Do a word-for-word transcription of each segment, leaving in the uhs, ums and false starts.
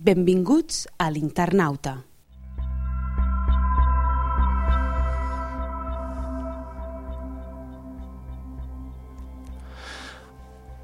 Benvinguts a l'Internauta.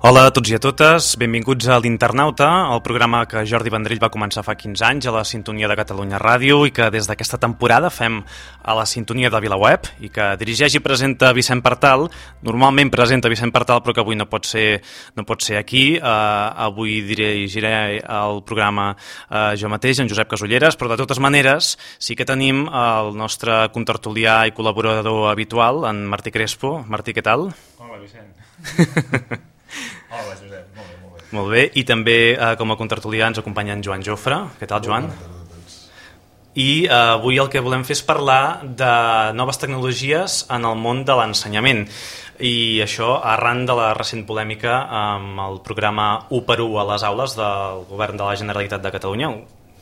Hola a tots i a totes, benvinguts a l'Internauta, el programa que Jordi Vendrell va començar fa quinze anys a la sintonia de Catalunya Ràdio i que des d'aquesta temporada fem a la sintonia de VilaWeb i que dirigeix i presenta Vicent Partal. Normalment presenta Vicent Partal, però que avui no pot ser, no pot ser aquí. Uh, avui dirigiré el programa uh, jo mateix, en Josep Casulleres, però de totes maneres sí que tenim el nostre contertulià i col·laborador habitual, en Martí Crespo. Martí, què tal? Hola, Vicent. Hola, Josep, molt bé, molt bé. Molt bé, i també eh, com a contertulià ens acompanya en Joan Jofre. Què tal, Joan? I eh, avui el que volem fer és parlar de noves tecnologies en el món de l'ensenyament. I això arran de la recent polèmica amb el programa u per u a les aules del govern de la Generalitat de Catalunya.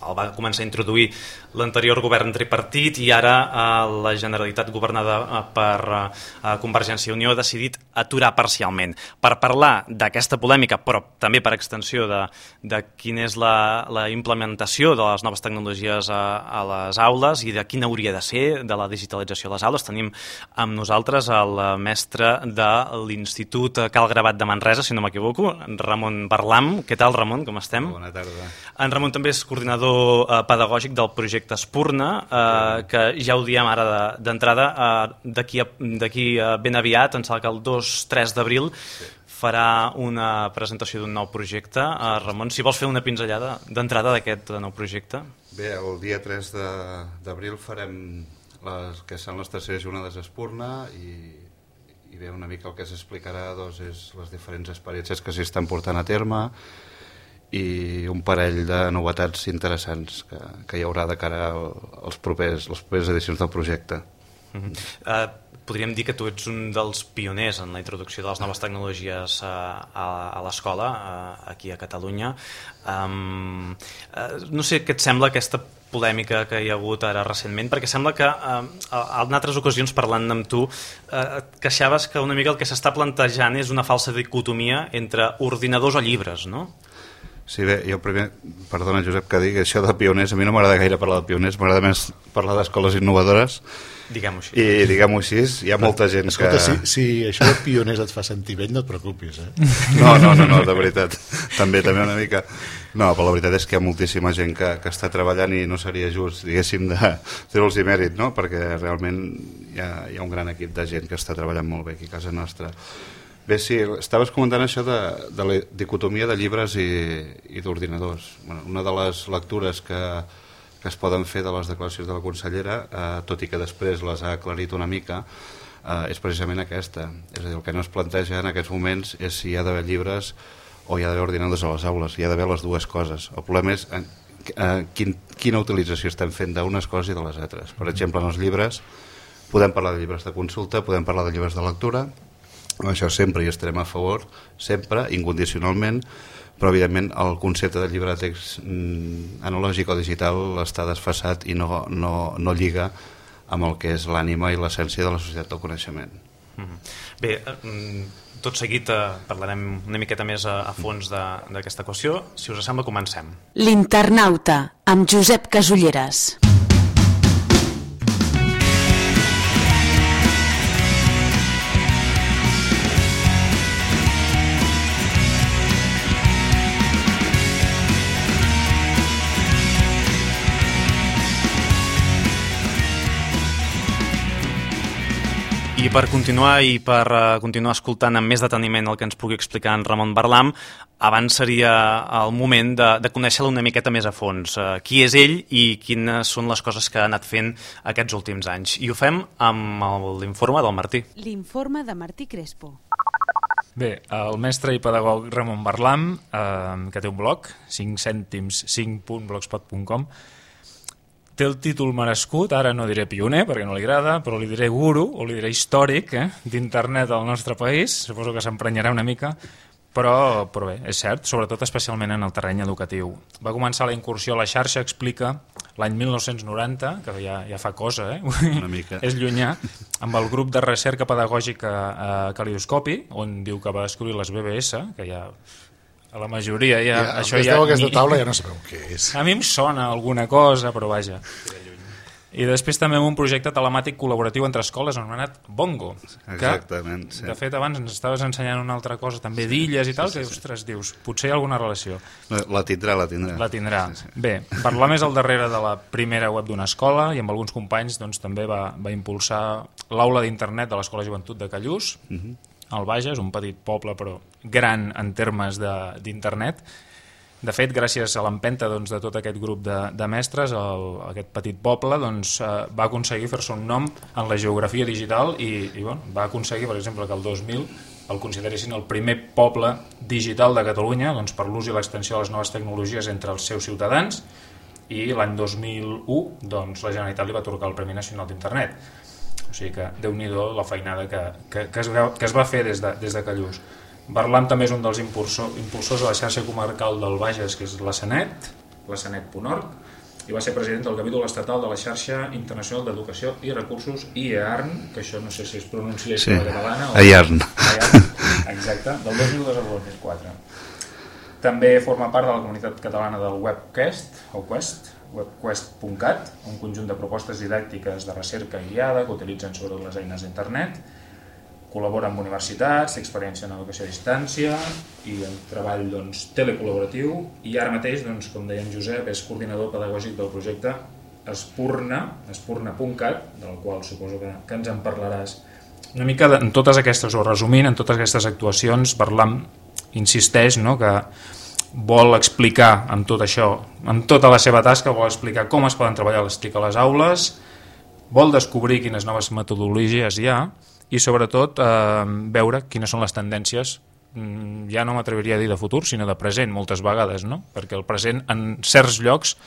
El va començar a introduir l'anterior govern tripartit i ara eh, la Generalitat governada eh, per eh, Convergència i Unió ha decidit aturar parcialment. Per parlar d'aquesta polèmica, però també per extensió de, de quina és la, la implementació de les noves tecnologies a, a les aules i de quina hauria de ser de la digitalització a les aules, tenim amb nosaltres el mestre de l'Institut Cal Gravat de Manresa, si no m'equivoco, Ramon Barlam. Què tal, Ramon? Com estem? Bona tarda. En Ramon també és coordinador pedagògic del projecte Espurna, eh, que ja ho diem ara d'entrada, eh, d'aquí ben aviat, em sembla que el dos tres d'abril sí. farà una presentació d'un nou projecte. Eh, Ramon, si vols fer una pinzellada d'entrada d'aquest nou projecte. Bé, el dia tres d'abril farem les que són les terceres jornades Espurna i, i bé, una mica el que s'explicarà doncs, és les diferents experiències que s'hi estan portant a terme i un parell de novetats interessants que, que hi haurà de cara als propers, les properes edicions del projecte. Uh-huh. uh, podríem dir que tu ets un dels pioners en la introducció de les noves tecnologies uh, a, a l'escola, uh, aquí a Catalunya. Um, uh, no sé què et sembla aquesta polèmica que hi ha hagut ara recentment, perquè sembla que uh, en altres ocasions parlant amb tu uh, et queixaves que una mica el que s'està plantejant és una falsa dicotomia entre ordinadors o llibres, no? Sí, bé, jo primer, perdona Josep que digui això de pioners, a mi no m'agrada gaire parlar de pioners, m'agrada més parlar d'escoles innovadores. Diguem-ho així. I diguem-ho així, hi ha molta gent Escolta, que... Escolta, si, si això de pioners et fa sentir vell, no et preocupis, eh? No, no, no, no, de veritat, també, també una mica... No, però la veritat és que hi ha moltíssima gent que, que està treballant i no seria just, diguéssim, de treure-los mèrit, no? Perquè realment hi ha, hi ha un gran equip de gent que està treballant molt bé aquí a casa nostra. Bé, sí, estaves comentant això de, de la dicotomia de llibres i, i d'ordinadors. Bueno, una de les lectures que, que es poden fer de les declaracions de la consellera, eh, tot i que després les ha aclarit una mica, eh, és precisament aquesta. És a dir, el que no es planteja en aquests moments és si hi ha d'haver llibres o hi ha d'haver ordinadors a les aules. Hi ha d'haver les dues coses. El problema és eh, eh, quin, quina utilització estem fent d'unes coses i de les altres. Per exemple, en els llibres podem parlar de llibres de consulta, podem parlar de llibres de lectura. Això sempre hi estarem a favor, sempre, incondicionalment, però evidentment el concepte de llibre de text mm, analògic o digital està desfasat i no, no, no lliga amb el que és l'ànima i l'essència de la societat del coneixement. Mm-hmm. Bé, eh, tot seguit eh, parlarem una miqueta més a, a fons d'aquesta qüestió. Si us sembla, comencem. L'Internauta, amb Josep Casulleres. I per continuar i per uh, continuar escoltant amb més deteniment el que ens pugui explicar en Ramon Barlam, abans seria el moment de, de conèixer-lo una miqueta més a fons. Uh, qui és ell i quines són les coses que ha anat fent aquests últims anys. I ho fem amb l'informe del Martí. L'informe de Martí Crespo. Bé, el mestre i pedagog Ramon Barlam, eh, que té un blog, cinc cèntims cinc punt blogspot punt com, té el títol merescut, ara no diré pioner perquè no li agrada, però li diré guru o li diré històric eh, d'internet al nostre país, suposo que s'emprenyarà una mica, però, però bé, és cert, sobretot especialment en el terreny educatiu. Va començar la incursió a la xarxa, explica, l'any mil nou-cents noranta, que ja, ja fa cosa, eh? Una mica. És llunyà, amb el grup de recerca pedagògica a Calidoscopi, on diu que va descobrir les B B S, que ja a la majoria ja, Ja, això ja, ja... aquesta ni- taula ja no sabeu què és. A mi em sona alguna cosa, però vaja. I després també amb un projecte telemàtic col·laboratiu entre escoles anomenat Bongo. Que, Exactament, sí. de fet, abans ens estaves ensenyant una altra cosa, també d'illes i tal, que, ostres, dius, potser hi ha alguna relació. La tindrà, la tindrà. La tindrà. Sí, sí. Bé, parlar més al darrere de la primera web d'una escola i amb alguns companys doncs, també va, va impulsar l'aula d'internet de l'Escola Joventut de Callús, Mhm. al Bages, un petit poble però gran en termes de- d'internet. De fet, gràcies a l'empenta doncs, de tot aquest grup de, de mestres, el, aquest petit poble doncs, eh, va aconseguir fer-se un nom en la geografia digital i, i bueno, va aconseguir, per exemple, que el dos mil el consideressin el primer poble digital de Catalunya doncs, per l'ús i l'extensió de les noves tecnologies entre els seus ciutadans, i l'any dos mil u doncs, la Generalitat li va atorgar el Premi Nacional d'Internet. O sigui que, déu-n'hi-do la feinada que, que, que, es, veu, que es va fer des de, des de Callús. Barlam també és un dels impulsor, impulsors de la xarxa comarcal del Bages, que és la Sanet, la sanet punt org, i va ser president del capítol estatal de la xarxa internacional d'educació i recursos I E A R N, que això no sé si es pronuncia Sí, com a catalana o... I E A R N. I E A R N, exacte, del dos mil dos al dos mil quatre. També forma part de la comunitat catalana del Webquest, o Quest, webquest punt cat, un conjunt de propostes didàctiques de recerca guiada que utilitzen sobretot les eines d'internet. Col·labora amb universitats, té experiència en educació a distància i en treball doncs, telecol·laboratiu, i ara mateix, doncs, com deia en Josep, és coordinador pedagògic del projecte Espurna, espurna punt cat, del qual suposo que, que ens en parlaràs. Una mica de, en totes aquestes, o resumint, en totes aquestes actuacions, Barlam insisteix, no?, que vol explicar amb tot això, amb tota la seva tasca, vol explicar com es poden treballar les TIC a les aules, vol descobrir quines noves metodologies hi ha, i sobretot eh, veure quines són les tendències, ja no m'atreviria a dir de futur, sinó de present moltes vegades, no? Perquè el present en certs llocs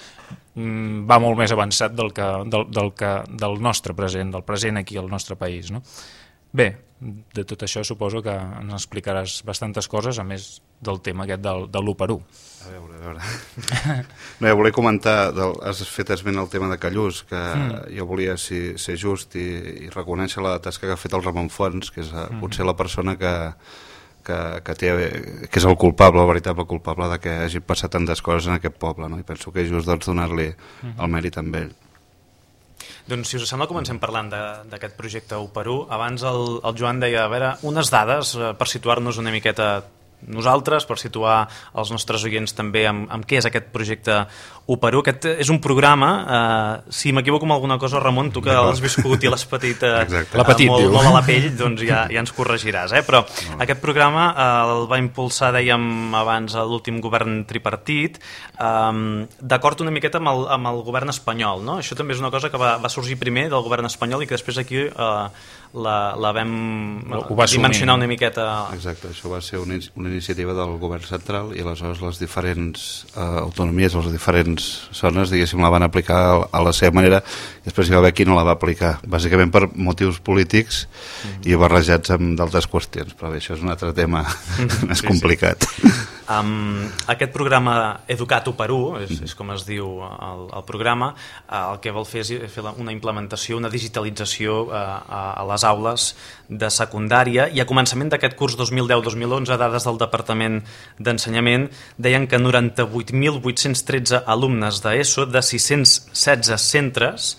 va molt més avançat del, que, del, del, que, del nostre present, del present aquí al nostre país, no? Bé, de tot això suposo que ens explicaràs bastantes coses, a més del tema aquest del, de l'u per u. A veure, a veure. No, ja volia comentar, del, has fet esment el tema de Callús, que mm. jo volia ser, ser just i, i reconèixer la tasca que ha fet el Ramon Fons, que és mm. potser la persona que, que, que, té, que és el culpable, el veritable culpable de que hagi passat tantes coses en aquest poble, no? I penso que és just doncs, donar-li mm. el mèrit amb ell. Doncs si us sembla comencem parlant d'aquest projecte u per u. Abans el, el Joan deia, a veure, unes dades eh, per situar-nos una miqueta nosaltres, per situar els nostres oients també amb, amb què és aquest projecte u per u. Aquest és un programa, eh, si m'equivoco amb alguna cosa, Ramon, tu que l'has viscut i l'has patit, eh, la petit, molt, diu. molt a la pell, doncs ja, ja ens corregiràs. Eh? Però no. Aquest programa eh, el va impulsar, dèiem abans, l'últim govern tripartit, eh, d'acord una miqueta amb el, amb el govern espanyol. No? Això també és una cosa que va, va sorgir primer del govern espanyol i que després aquí eh, la, la vam dimensionar una miqueta. Exacte, això va ser una, una iniciativa del govern central i aleshores les diferents eh, autonomies, les diferents zones, diguéssim, la van aplicar a la seva manera i després hi va haver qui no la va aplicar, bàsicament per motius polítics mm-hmm. i barrejats amb d'altres qüestions, però bé, això és un altre tema mm-hmm. més sí, complicat. Sí. Um, aquest programa Educat u per u, és, mm-hmm. és com es diu el, el programa, uh, el que vol fer és fer una implementació, una digitalització uh, a, a les aules de secundària, i a començament d'aquest curs dos mil deu dos mil onze, dades del Departament d'Ensenyament deien que noranta-vuit mil vuit-cents tretze alumnes d'ESO de sis-cents setze centres,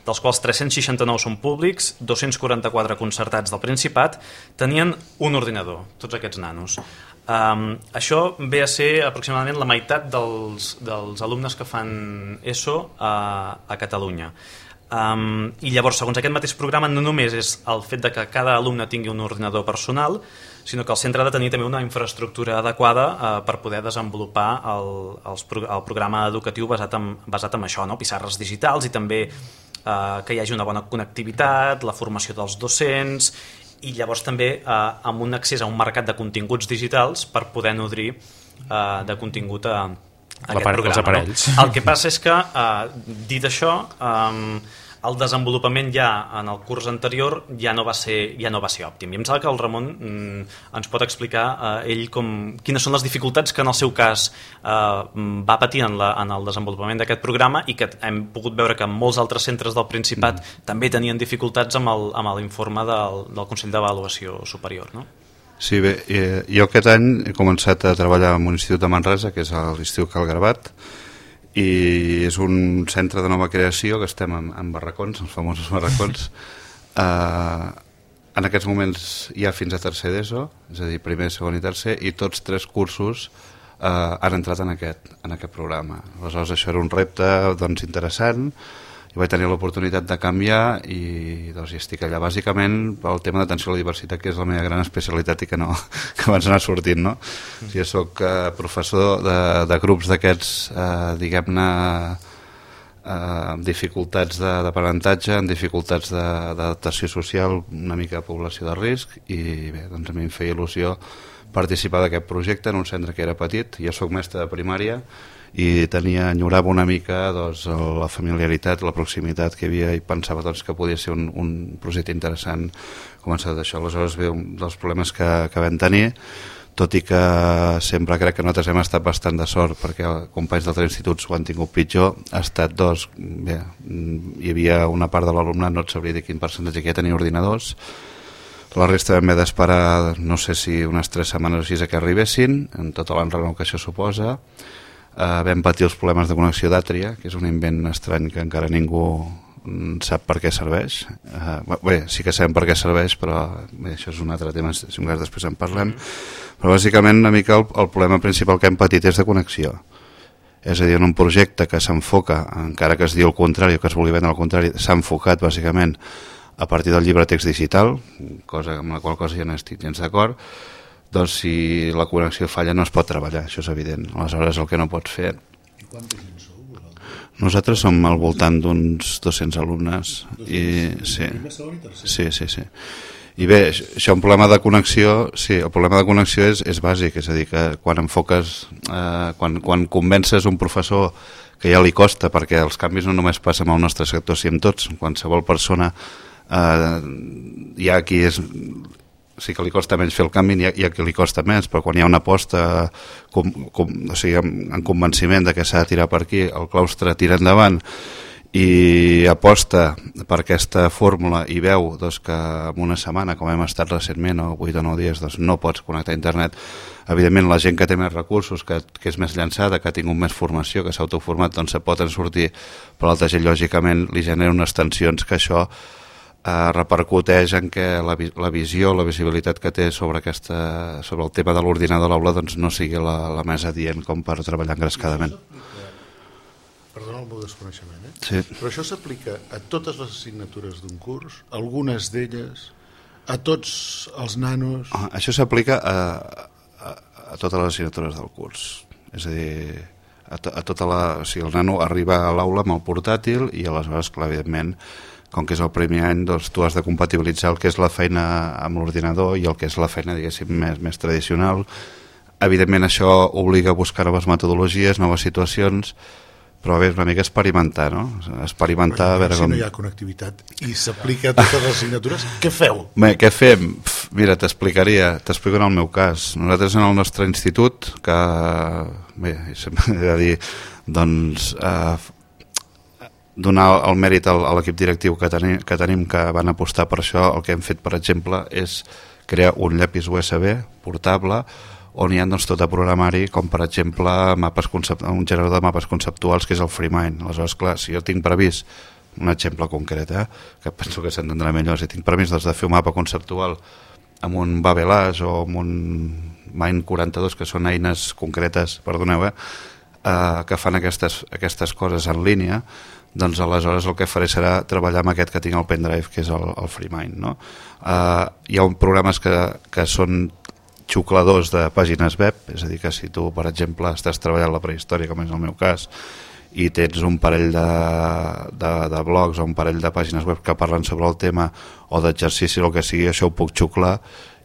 dels quals tres-cents seixanta-nou són públics, dos-cents quaranta-quatre concertats del Principat, tenien un ordinador, tots aquests nanos. Um, això ve a ser aproximadament la meitat dels, dels alumnes que fan ESO a, a Catalunya. Um, I llavors, segons aquest mateix programa, no només és el fet de que cada alumne tingui un ordinador personal, sinó que el centre ha de tenir també una infraestructura adequada uh, per poder desenvolupar el, els, el programa educatiu basat en, basat en això, no? Pissarres digitals i també uh, que hi hagi una bona connectivitat, la formació dels docents, i llavors també uh, amb un accés a un mercat de continguts digitals per poder nodrir uh, de contingut a, a aquest programa. Aparells. No? El que passa és que, uh, dit això, um, el desenvolupament ja en el curs anterior ja no va ser, ja no va ser òptim. I em sembla que el Ramon mm, ens pot explicar eh, ell com, quines són les dificultats que en el seu cas eh, va patir en, la, en el desenvolupament d'aquest programa, i que hem pogut veure que molts altres centres del Principat mm. també tenien dificultats amb l'informe del, del Consell d'Avaluació Superior, no? Sí, bé, eh, jo aquest any he començat a treballar en un institut de Manresa, que és l'Institut Cal Garbat, i és un centre de nova creació que estem en, en barracons, els famosos barracons. Eh, en aquests moments hi ha fins a tercer d'ESO, és a dir, primer, segon i tercer, i tots tres cursos eh, han entrat en aquest, en aquest programa. Aleshores, això era un repte doncs, interessant, i vaig tenir l'oportunitat de canviar i doncs, hi estic allà bàsicament pel tema d'atenció a la diversitat, que és la meva gran especialitat i que, no, que abans anar sortint, no? Mm. Jo soc eh, professor de, de grups d'aquests eh, diguem-ne eh, amb dificultats d'aprenentatge, amb dificultats d'adaptació social, una mica de població de risc, i bé, doncs a mi em feia il·lusió participar d'aquest projecte en un centre que era petit. Jo soc mestre de primària i tenia, enyorava una mica doncs, la familiaritat, la proximitat que hi havia, i pensava doncs, que podia ser un, un projecte interessant començar d'això. Aleshores ve un dels problemes que, que vam tenir, tot i que sempre crec que nosaltres hem estat bastant de sort, perquè companys d'altres instituts ho han tingut pitjor, ha estat dos, bé, hi havia una part de l'alumnat, no et sabria dir quin percentatge que ja tenia ordinadors, la resta vam haver d'esperar, no sé si unes tres setmanes o així a que arribessin, en tota l'enrenou que això suposa. Uh, vam patir els problemes de connexió d'Àtria, que és un invent estrany que encara ningú sap per què serveix. Uh, bé, sí que sabem per què serveix, però bé, això és un altre tema, si un cas després en parlem. Però bàsicament una mica el, el problema principal que hem patit és de connexió. És a dir, en un projecte que s'enfoca, encara que es diu el contrari, que es vulgui vendre al contrari, s'ha enfocat bàsicament a partir del llibre text digital, cosa amb la qual cosa ja no estic gens d'acord, doncs si la connexió falla no es pot treballar, això és evident. Aleshores el que no pots fer... I quanta gent sou? Nosaltres som al voltant d'uns dos-cents alumnes. I, sí. sí, sí, sí. I bé, això un problema de connexió, sí, el problema de connexió és, és bàsic, és a dir, que quan enfoques, eh, quan, quan convences un professor que ja li costa, perquè els canvis no només passen amb el nostre sector, si amb tots, qualsevol persona, eh, hi ha qui és... sí que li costa menys fer el canvi, hi ha, hi ha qui li costa més, però quan hi ha una aposta com, com, o sigui, en, en convenciment de que s'ha de tirar per aquí, el claustre tira endavant i aposta per aquesta fórmula i veu doncs, que en una setmana, com hem estat recentment, o vuit o nou dies, doncs, no pots connectar a internet, evidentment la gent que té més recursos, que, que és més llançada, que ha tingut més formació, que s'ha autoformat, doncs se pot en sortir, però l'altra gent lògicament li genera unes tensions que això eh, repercuteix en que la, la visió, la visibilitat que té sobre, aquesta, sobre el tema de l'ordinador a l'aula doncs, no sigui la, la més adient com per treballar engrescadament. Perdona el meu desconeixement, eh? Sí. Però això s'aplica a totes les assignatures d'un curs, algunes d'elles, a tots els nanos... Ah, això s'aplica a, a, a totes les assignatures del curs. És a dir, a, to, a tota la... O sigui, el nano arriba a l'aula amb el portàtil i aleshores, clar, evidentment, com que és el primer any, doncs tu has de compatibilitzar el que és la feina amb l'ordinador i el que és la feina, diguéssim, més, més tradicional. Evidentment, això obliga a buscar noves metodologies, noves situacions, però bé, és una mica experimentar, no? Experimentar, a veure si com... no hi ha connectivitat i s'aplica a totes les assignatures, què feu? Bé, què fem? Pff, mira, t'explicaria, t'explico en el meu cas. Nosaltres en el nostre institut, que, bé, sempre he de dir, doncs, eh, donar el mèrit a l'equip directiu que tenim, que tenim, que van apostar per això, el que hem fet, per exemple, és crear un llapis U S B portable on hi ha doncs, tot a programari, com per exemple mapes concept... un generador de mapes conceptuals que és el FreeMind. Aleshores, clar, si jo tinc previst un exemple concret, eh, que penso que s'entendrà millor, si tinc previst doncs, de fer un mapa conceptual amb un Babelage o amb un Mind quaranta-dos, que són eines concretes, perdoneu, eh, eh, que fan aquestes, aquestes coses en línia, doncs aleshores el que faré serà treballar amb aquest que tinc al pendrive, que és el, el FreeMind, no? Eh, hi ha un programes que, que són xucladors de pàgines web, és a dir, que si tu, per exemple, estàs treballant la prehistòria, com és el meu cas, i tens un parell de, de, de blogs o un parell de pàgines web que parlen sobre el tema o d'exercici o el que sigui, això ho puc xuclar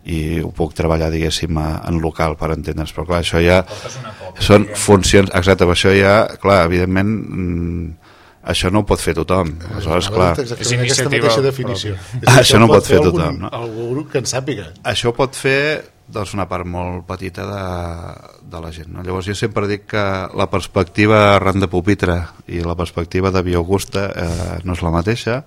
i ho puc treballar, diguéssim, en local, per entendre's. Però clar, això ja són funcions... Exacte, però això ja, clar, evidentment... això no ho pot fer tothom. Aleshores, clar... És aquesta mateixa definició. Això no pot fer tothom, no? Algú grup que en sàpiga. Això pot fer doncs, una part molt petita de, de la gent, no? Llavors jo sempre dic que la perspectiva arran de pupitre i la perspectiva de Biogusta eh, no és la mateixa,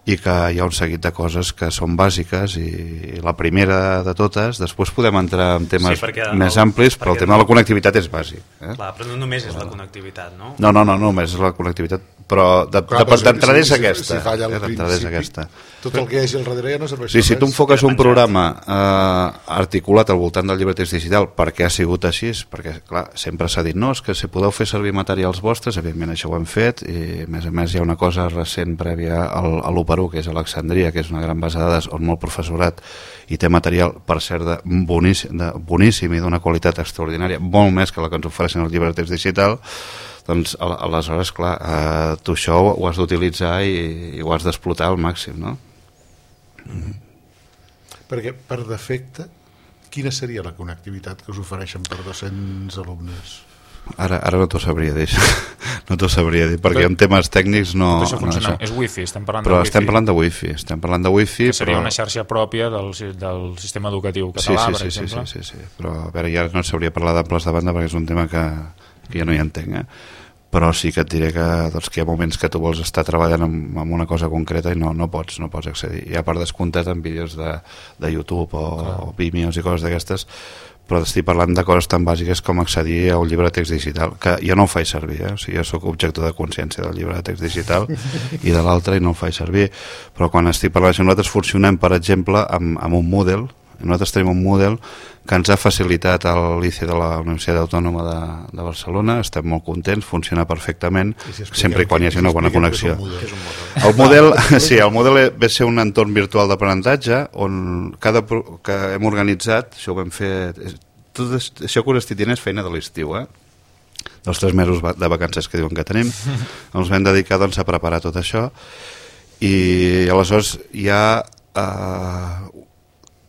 i que hi ha un seguit de coses que són bàsiques i la primera de totes, després podem entrar en temes Sí, més el, amplis, però el tema de la connectivitat és bàsic. Eh? Clar, però no només és la connectivitat, no? No, no, no, no només és la connectivitat, però de, Clar, de, d'entrada si- és si- aquesta. si falla al eh, d'entrada és principi, aquesta. Tot el que hi hagi al darrere ja no serveix Sí, per si tu res. enfoques un programa eh, articulat al voltant del llibre text digital, per què ha sigut així? Perquè, clar, sempre s'ha dit, no, és que si podeu fer servir materials vostres, evidentment això ho hem fet, i a més a més hi ha una cosa recent prèvia al, a l'u per u, que és Alexandria, que és una gran base de dades on molt professorat i té material, per cert, de boníssim, de boníssim i d'una qualitat extraordinària, molt més que la que ens ofereixen el llibre text digital. Doncs al- aleshores, clar, eh, tu això ho has d'utilitzar i, i ho has d'explotar al màxim, no? Perquè, per defecte, quina seria la connectivitat que us ofereixen per dos-cents alumnes? Ara, ara no t'ho sabria dir, no t'ho sabria dir, perquè en temes tècnics no... Tot això no funciona, això. és wifi, estem parlant Però de wifi. estem parlant de wifi, estem parlant de wifi, que seria però... una xarxa pròpia del, si- del sistema educatiu Sí, català, sí, per sí, sí, exemple. sí, sí, sí, però a veure, ja no sabria parlar d'amples de banda perquè és un tema que, que ja no hi entenc, eh? Però sí que et diré que, doncs, que hi ha moments que tu vols estar treballant amb, amb una cosa concreta i no, no, pots, no pots accedir. Hi ha per descomptat en vídeos de, de YouTube o, o Vimeos i coses d'aquestes, però estic parlant de coses tan bàsiques com accedir a un llibre de text digital, que jo no ho faig servir, eh? O sigui, jo sóc objector de consciència del llibre de text digital i de l'altre i no el faig servir, però quan estic parlant d'això, nosaltres funcionem, per exemple, amb, amb un Moodle. Nosaltres tenim un Moodle que ens ha facilitat a l'I C E de la Universitat Autònoma de, de Barcelona, estem molt contents, funciona perfectament, I si expliquem sempre i quan hi hagi què- una bona expliquem què és connexió. un Moodle. És un model. El model, sí, el model ve a ser un entorn virtual d'aprenentatge on cada pro- que hem organitzat, això ho vam fer, tot això que us estic dient és feina de l'estiu, eh? dels tres mesos va- de vacances que diuen que tenim, ens vam dedicar, doncs, a preparar tot això, i aleshores hi ha eh,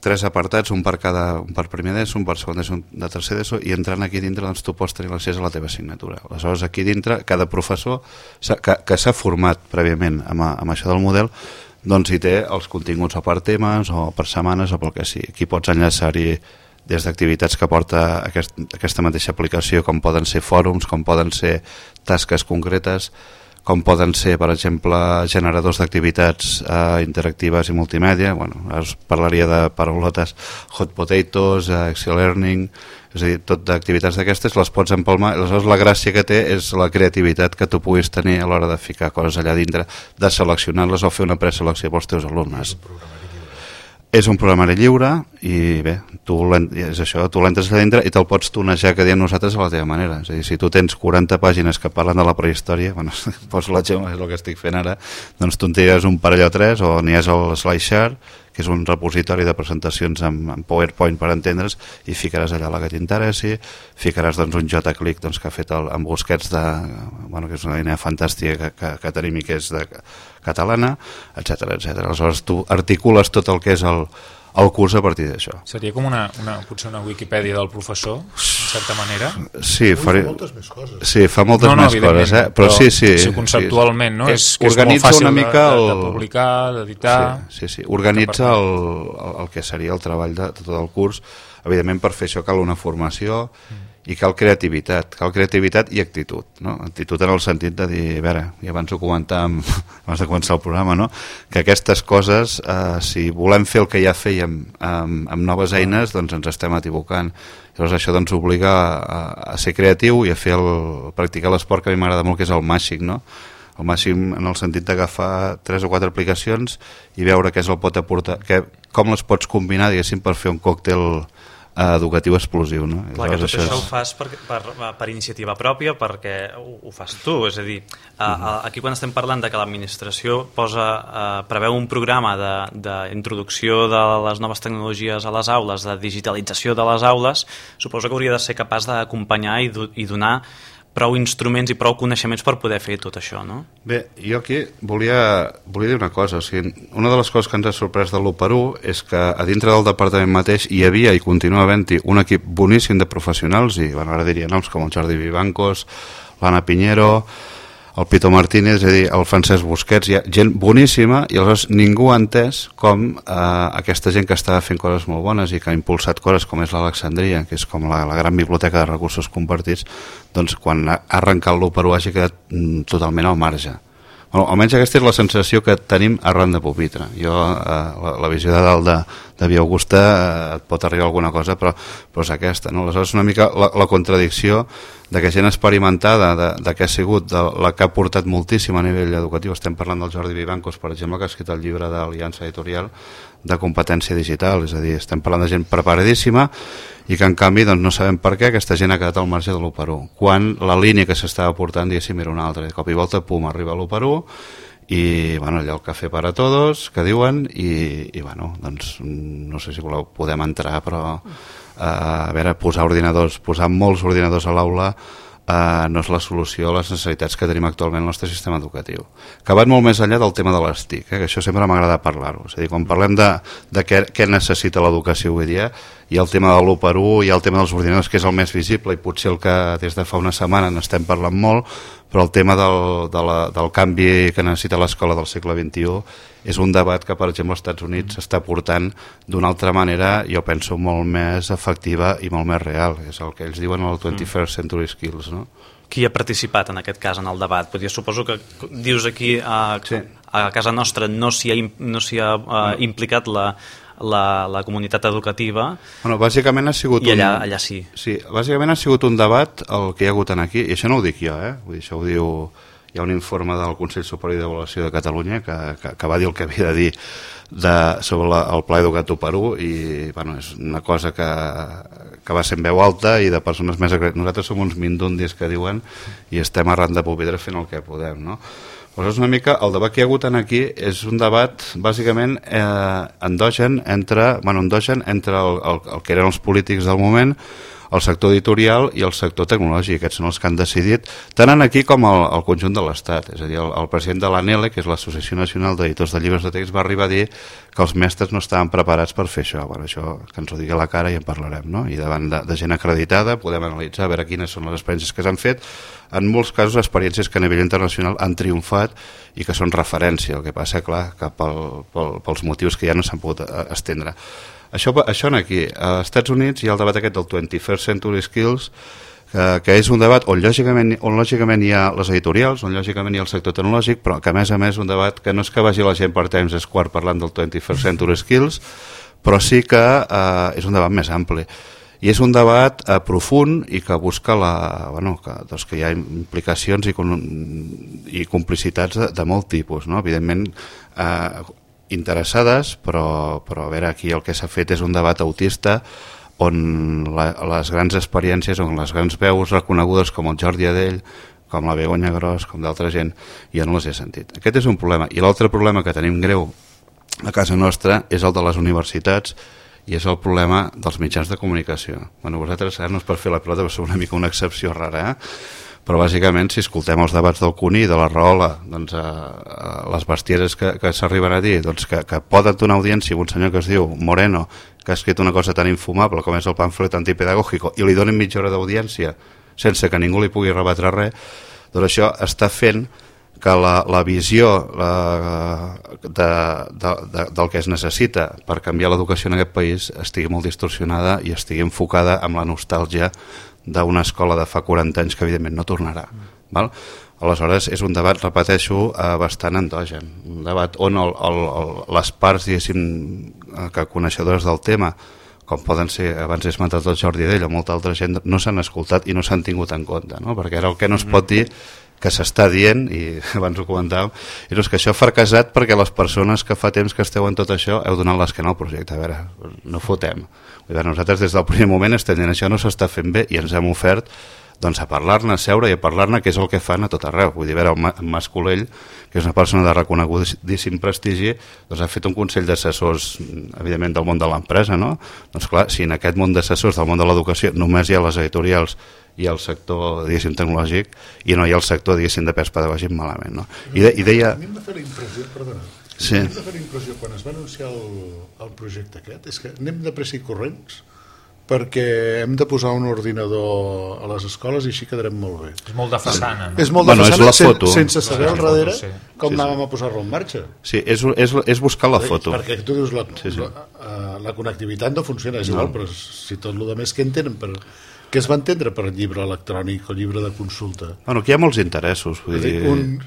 tres apartats, un per cada, un per primer d'ESO, un per segon d'ESO, un de tercer d'ESO, i entrant aquí dintre, doncs, tu pots tenir l'accés a la teva assignatura. Aleshores, aquí dintre, cada professor s'ha- que, que s'ha format prèviament amb, amb això del model, doncs hi té els continguts o per temes o per setmanes o pel que sigui. Aquí pots enllaçar-hi des d'activitats que porta aquest, aquesta mateixa aplicació, com poden ser fòrums, com poden ser tasques concretes, com poden ser, per exemple, generadors d'activitats eh, interactives i multimèdia. Bueno, us parlaria de paraulotes hot potatoes, eh, Excel Learning, és a dir, tot d'activitats d'aquestes les pots empalmar. Aleshores, la gràcia que té és la creativitat que tu puguis tenir a l'hora de ficar coses allà dintre, de seleccionar-les o fer una preselecció pels teus alumnes. És un programari lliure i bé, tu l'en- és això, tu l'entres allà dintre i te'l pots tunejar, que diem nosaltres, a la teva manera. És a dir, si tu tens quaranta pàgines que parlen de la prehistòria, bueno, poso l'exemple, és el que estic fent ara, doncs tu en tires un parell o tres, o n'hi has el SlideShare, que és un repositori de presentacions amb, amb PowerPoint per entendre's, i ficaràs allà la que t'interessi, ficaràs doncs, un JClick doncs, que ha fet el, amb Busquets, de, bueno, que és una eina fantàstica que, que, que tenim i que és de catalana, etcètera etcètera. Aleshores tu articules tot el que és el, el curs a partir d'això. Seria com una, una, potser una Wikipedia del professor, en certa manera. Sí, Ui, faré... fa moltes més coses. Sí, fa moltes no, no, més coses, eh? Però, sí, sí. sí, conceptualment, no? Sí. És que és molt Organitza fàcil una mica de, de, el... de publicar, d'editar... Sí, sí, sí. Organitza el, el, el que seria el treball de, de tot el curs. Evidentment, per fer això cal una formació i cal creativitat, cal creativitat i actitud, no? Actitud en el sentit de dir, a veure, i abans ho comentàvem abans de començar el programa, no? Que aquestes coses, eh, si volem fer el que ja fèiem amb, amb noves eines, doncs ens estem equivocant. Llavors això doncs obliga a, a ser creatiu i a fer el, a practicar l'esport que a mi m'agrada molt, que és el màgic, no? El màxim en el sentit d'agafar tres o quatre aplicacions i veure què és el pot aportar, que, com les pots combinar, diguéssim, per fer un còctel eh, educatiu explosiu, no? Clar, que tot Aleshores, això ho fas per, per, per iniciativa pròpia, perquè ho, ho fas tu, és a dir, a, a, aquí quan estem parlant de que l'administració posa, eh, preveu un programa d'introducció de, de les noves tecnologies a les aules, de digitalització de les aules, suposo que hauria de ser capaç d'acompanyar i, do, i donar prou instruments i prou coneixements per poder fer tot això, no? Bé, jo aquí volia, volia dir una cosa. O sigui, una de les coses que ens ha sorprès de l'u per u és que a dintre del departament mateix hi havia i continua havent-hi un equip boníssim de professionals, i bueno, ara diria noms com el Jordi Vivancos, l'Anna Piñero, el Pito Martínez, és a dir, el Francesc Busquets, hi ha gent boníssima, i aleshores ningú ha entès com eh, aquesta gent que estava fent coses molt bones i que ha impulsat coses com és l'Alexandria, que és com la, la gran biblioteca de recursos compartits, doncs quan ha arrencat l'u per u hagi quedat mm, totalment al marge. Bueno, almenys aquesta és la sensació que tenim arran de pupitre. Jo, eh, la, la visió de dalt de, de Via Augusta eh, et pot arribar alguna cosa, però, però és aquesta, no? Aleshores, una mica la, la contradicció de que gent experimentada, de, de que ha sigut de, la que ha portat moltíssim a nivell educatiu. Estem parlant del Jordi Vivancos, per exemple, que ha escrit el llibre d'Aliança Editorial de competència digital, és a dir, estem parlant de gent preparadíssima i que en canvi doncs, no sabem per què aquesta gent ha quedat al marge de l'u per u, quan la línia que s'estava portant, diguéssim, era una altra. De cop i volta, pum, arriba l'u per u i bueno, allò el cafè para todos que diuen i, i bueno, doncs no sé si voleu, podem entrar, però eh, a veure, posar ordinadors, posar molts ordinadors a l'aula Uh, no és la solució a les necessitats que tenim actualment al nostre sistema educatiu, que va molt més enllà del tema de les T I C, eh? Que això sempre m'agrada parlar-ho, és a dir, quan parlem de, de què, què necessita l'educació avui dia, hi ha el tema de l'u per u, hi ha el tema dels ordinadors, que és el més visible i potser el que des de fa una setmana n'estem parlant molt, però el tema del, de la, del canvi que necessita l'escola del segle vint-i-u és un debat que, per exemple, als Estats Units s'està portant d'una altra manera, jo penso, molt més efectiva i molt més real. És el que ells diuen el twenty-first century skills, no? Qui ha participat en aquest cas en el debat? Perquè suposo que dius aquí a, Sí. a casa nostra no s'hi ha, no s'hi ha uh, implicat la, la, la comunitat educativa. Bueno, bàsicament ha sigut I allà, un... allà sí. Sí, bàsicament ha sigut un debat el que hi ha hagut aquí, i això no ho dic jo, eh? Vull dir, això ho diu... Hi ha un informe del Consell Superior d'Avaluació de Catalunya que, que, que va dir el que havia de dir de, sobre la, el Pla Educat u per u i bueno, és una cosa que, que va ser en veu alta i de persones més agre... Nosaltres som uns mindundis que diuen i estem arran de pupitre fent el que podem, no? Llavors, una mica, el debat que hi ha hagut aquí és un debat bàsicament eh, endogen entre, bueno, endogen entre el, el, el que eren els polítics del moment, el sector editorial i el sector tecnològic. Aquests són els que han decidit, tant en aquí com al, al conjunt de l'Estat. És a dir, el, el president de l'ANELE, que és l'Associació Nacional d'Editors de Llibres de Text, va arribar a dir que els mestres no estaven preparats per fer això. Bueno, això que ens ho digui a la cara i en parlarem, no? I davant de, de gent acreditada podem analitzar a veure quines són les experiències que s'han fet. En molts casos, experiències que a nivell internacional han triomfat i que són referència. El que passa, clar, que pel, pel, pels motius que ja no s'han pogut estendre. Això, això en aquí, als Estats Units hi ha el debat aquest del twenty-first century skills, que, que és un debat on lògicament, on lògicament hi ha les editorials, on lògicament hi ha el sector tecnològic, però que a més a més un debat que no és que vagi la gent per Times Square parlant del twenty-first century skills, però sí que eh, és un debat més ampli. I és un debat eh, profund i que busca la, bueno, que, doncs que hi ha implicacions i, i complicitats de, de molt tipus, no? Evidentment, eh, interessades, però, però a veure, aquí el que s'ha fet és un debat autista on la, les grans experiències, on les grans veus reconegudes com el Jordi Adell, com la Begoña Gros, com d'altra gent, jo no les he sentit. Aquest és un problema. I l'altre problema que tenim greu a casa nostra és el de les universitats i és el problema dels mitjans de comunicació. Bueno, vosaltres, ara no és per fer la pilota, però sou una mica una excepció rara, eh? Però bàsicament si escoltem els debats del Cuní i de la Rahola, doncs, a, a les bestieses que, que s'arriben a dir, doncs, que, que poden donar audiència a un senyor que es diu Moreno, que ha escrit una cosa tan infumable com és el pamflet antipedagògico, i li donen mitja hora d'audiència sense que ningú li pugui rebatre res, doncs això està fent que la, la visió la, de, de, de, del que es necessita per canviar l'educació en aquest país estigui molt distorsionada i estigui enfocada amb la nostàlgia d'una escola de fa quaranta anys que evidentment no tornarà. Val? Aleshores és un debat, repeteixo, eh, bastant endogen, un debat on el, el, el, les parts, diguéssim, que coneixedores del tema, com poden ser, abans he esmentat el Jordi Adell o molta altra gent, no s'han escoltat i no s'han tingut en compte, no? Perquè ara el que no es pot dir que s'està dient, i abans ho comentàvem, és que això ha fracassat perquè les persones que fa temps que esteu en tot això heu donat l'esquena al projecte. A veure, no fotem. Nosaltres des del primer moment estem dient això no s'està fent bé i ens hem ofert doncs, a parlar-ne, a seure i a parlar-ne, que és el que fan a tot arreu. Vull dir, a veure, el Mas Colell, que és una persona de reconegudíssim prestigi, doncs ha fet un consell d'assessors, evidentment, del món de l'empresa, no? Doncs clar, si en aquest món d'assessors del món de l'educació només hi ha les editorials i el sector, diguéssim, tecnològic, i no hi ha el sector, diguéssim, de pes pedagògic malament, no? I, de, i deia... A mi em va fer la impressió, perdona, sí. a mi em va fer la impressió quan es va anunciar el, el projecte aquest, és que anem de pressa i corrents perquè hem de posar un ordinador a les escoles i així quedarem molt bé. És molt de façana, no? És molt de bueno, façana, és la foto. Sen, sense saber al darrere sí. com Sí, sí. anàvem a posar-lo en marxa. Sí, és, és, és buscar la foto. Perquè tu dius, la, Sí, sí. la, la connectivitat no funciona, és igual, no. Però si tot el més que entenen per... Què es va entendre per llibre electrònic o llibre de consulta? Bueno, aquí hi ha molts interessos. Vull dir... Un,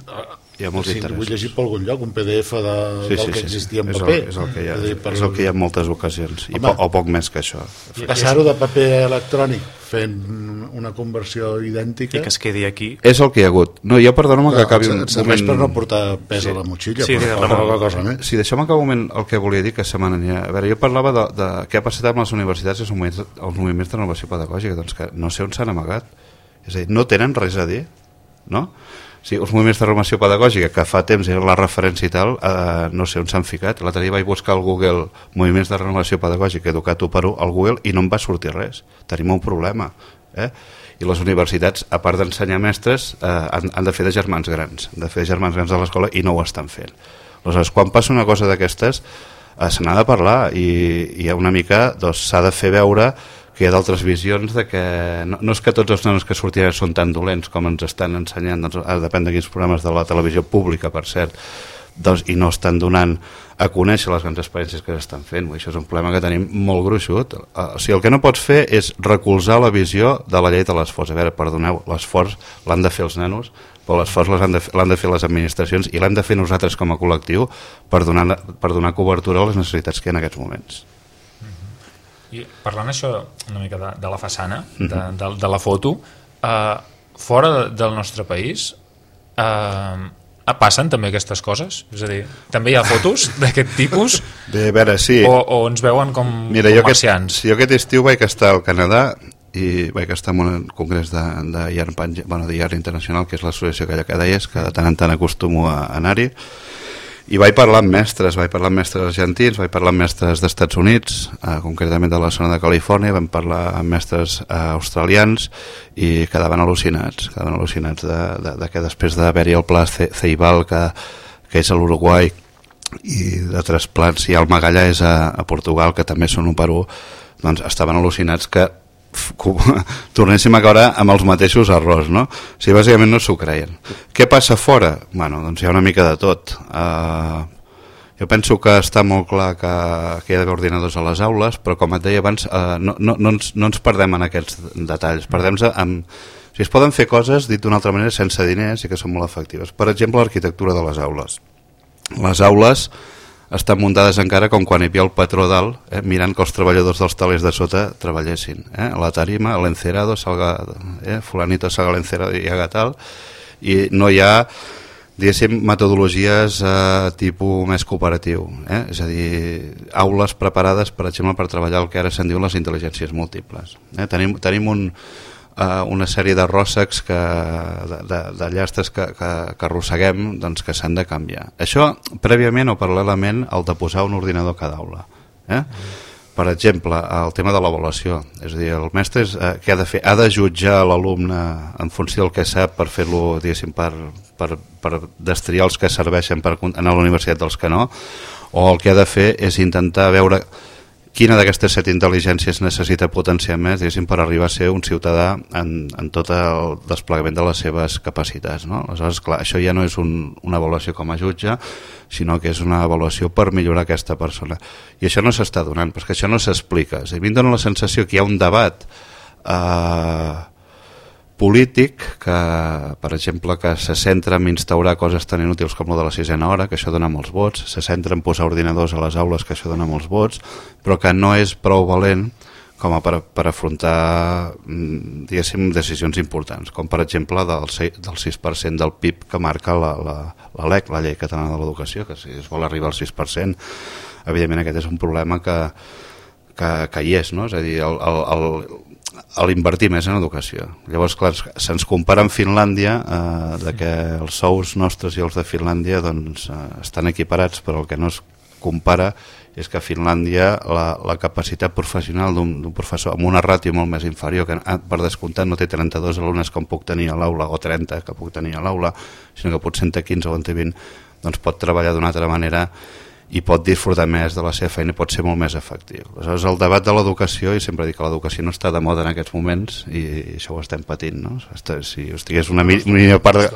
hi ha molts si interessos. vull llegir per algun lloc un P D F de, Sí, del sí, que sí. existia en És el, paper. és el que hi ha, És a dir, per- és el que hi ha en moltes ocasions, i Home. po, o poc més que això. Passar-ho de paper electrònic fent una conversió idèntica I que es quedi aquí. És el que hi ha hagut. No, jo perdona'm que no, acabi un et serveix moment... per no portar pes Sí. a la motxilla, Sí, però sí, per Ramon. poca cosa més. Si deixem acabar un moment el que volia dir, que se m'anirà... A veure, jo parlava de, de què ha passat amb les universitats i els moviments, els moviments de renovació pedagògica, doncs que no sé on s'han amagat. És a dir, no tenen res a dir, no? O sigui, els moviments de renovació pedagògica, que fa temps era la referència i tal, eh, no sé on s'han ficat. L'altre dia vaig buscar al Google moviments de renovació pedagògica educat u per u al Google i no em va sortir res. Tenim un problema, eh? I les universitats, a part d'ensenyar mestres, eh, han, han de fer de germans grans, han de fer de germans grans a l'escola i no ho estan fent. Aleshores, quan passa una cosa d'aquestes, eh, se n'ha de parlar i, i una mica doncs, s'ha de fer veure que hi ha d'altres visions de que no, no és que tots els nanos que sortiran són tan dolents com ens estan ensenyant, doncs, ara depèn de quins programes de la televisió pública, per cert, doncs, i no estan donant a conèixer les grans experiències que s'estan fent. Això és un problema que tenim molt gruixut. O sigui, el que no pots fer és recolzar la visió de la llei de l'esforç. A veure, perdoneu, l'esforç l'han de fer els nanos, però l'esforç l'han de, l'han de fer les administracions i l'hem de fer nosaltres com a col·lectiu per donar, per donar cobertura a les necessitats que hi ha en aquests moments. I parlant això una mica de, de la façana, de, de, de la foto, eh, fora de, del nostre país eh, passen també aquestes coses? És a dir, també hi ha fotos d'aquest tipus? Bé, a veure, sí. O, o ens veuen com, Mira, com jo marcians? Aquest, jo aquest estiu vaig estar al Canadà i vaig estar en un congrés de, de, I A R, bueno, de I A R Internacional, que és l'associació que ja deies, que de tant en tant acostumo a anar-hi, i vaig parlar amb mestres, vaig parlar amb mestres argentins, vaig parlar amb mestres d'Estats Units, eh, concretament de la zona de Califòrnia, vam parlar amb mestres eh, australians i quedaven al·lucinats, quedaven al·lucinats de, de, de que després d'haver-hi el pla Ceibal, que, que és a l'Uruguai, i de trasplants, i el Magallà és a, a Portugal, que també són un per u, doncs estaven al·lucinats que tornéssim a caure amb els mateixos errors, no? O sigui, bàsicament no s'ho creien. Què passa fora? Bueno, doncs hi ha una mica de tot. Uh, jo penso que està molt clar que, que hi ha d'haver ordinadors a les aules, però com et deia abans, uh, no, no, no, ens, no ens perdem en aquests detalls. Perdem amb... O sigui, es poden fer coses, dit d'una altra manera, sense diners i que són molt efectives. Per exemple, l'arquitectura de les aules. Les aules estan muntades encara com quan hi havia el patró dalt, eh, mirant que els treballadors dels talers de sota treballessin. Eh? La tarima, l'encerado, salga, eh? fulanito salga l'encerado i haga tal, i no hi ha, diguéssim, metodologies eh, tipus més cooperatiu. Eh? És a dir, aules preparades, per exemple, per treballar el que ara se'n diu les intel·ligències múltiples. Eh? Tenim, tenim un... Uh, una sèrie de ròssecs que, de, de, de llastres que, que, que arrosseguem, doncs, que s'han de canviar. Això prèviament o paral·lelament al de posar un ordinador a cada aula. Eh? Per exemple, el tema de l'avaluació, és a dir, el mestre és, eh, què ha de fer? Ha de jutjar l'alumne en funció del que sap per fer-lo, diguéssim, per, per, per destriar els que serveixen per anar a la universitat dels que no, o el que ha de fer és intentar veure quina d'aquestes set intel·ligències necessita potenciar més, diguéssim, per arribar a ser un ciutadà en, en tot el desplegament de les seves capacitats, no? Aleshores, clar, això ja no és un, una avaluació com a jutge, sinó que és una avaluació per millorar aquesta persona. I això no s'està donant, perquè això no s'explica. És a dir, a mi em dóna la sensació que hi ha un debat eh, polític que, per exemple, que se centra en instaurar coses tan inútils com lo de la sisena hora, que això dona molts vots, se centra en posar ordinadors a les aules, que això dona molts vots, però que no és prou valent com a per, per afrontar, diguéssim, decisions importants, com per exemple del, del sis per cent del P I B que marca la, la, la L E C, la Llei Catalana de l'Educació, que si es vol arribar al sis per cent, evidentment aquest és un problema que, que, que hi és, no? És a dir, el, el, el a l'invertir més en educació. Llavors, clar, se'ns compara amb Finlàndia, eh, de que els sous nostres i els de Finlàndia doncs, eh, estan equiparats, però el que no es compara és que a Finlàndia la, la capacitat professional d'un professor amb una ràtio molt més inferior, que per descomptat no té trenta-dos alumnes com puc tenir a l'aula, o trenta que puc tenir a l'aula, sinó que potser en té quinze o en té vint, doncs pot treballar d'una altra manera i pot disfrutar més de la seva feina i pot ser molt més efectiu. Aleshores, el debat de l'educació, i sempre dic que l'educació no està de moda en aquests moments, i això ho estem patint, no? Si ho estigués una mínima part de...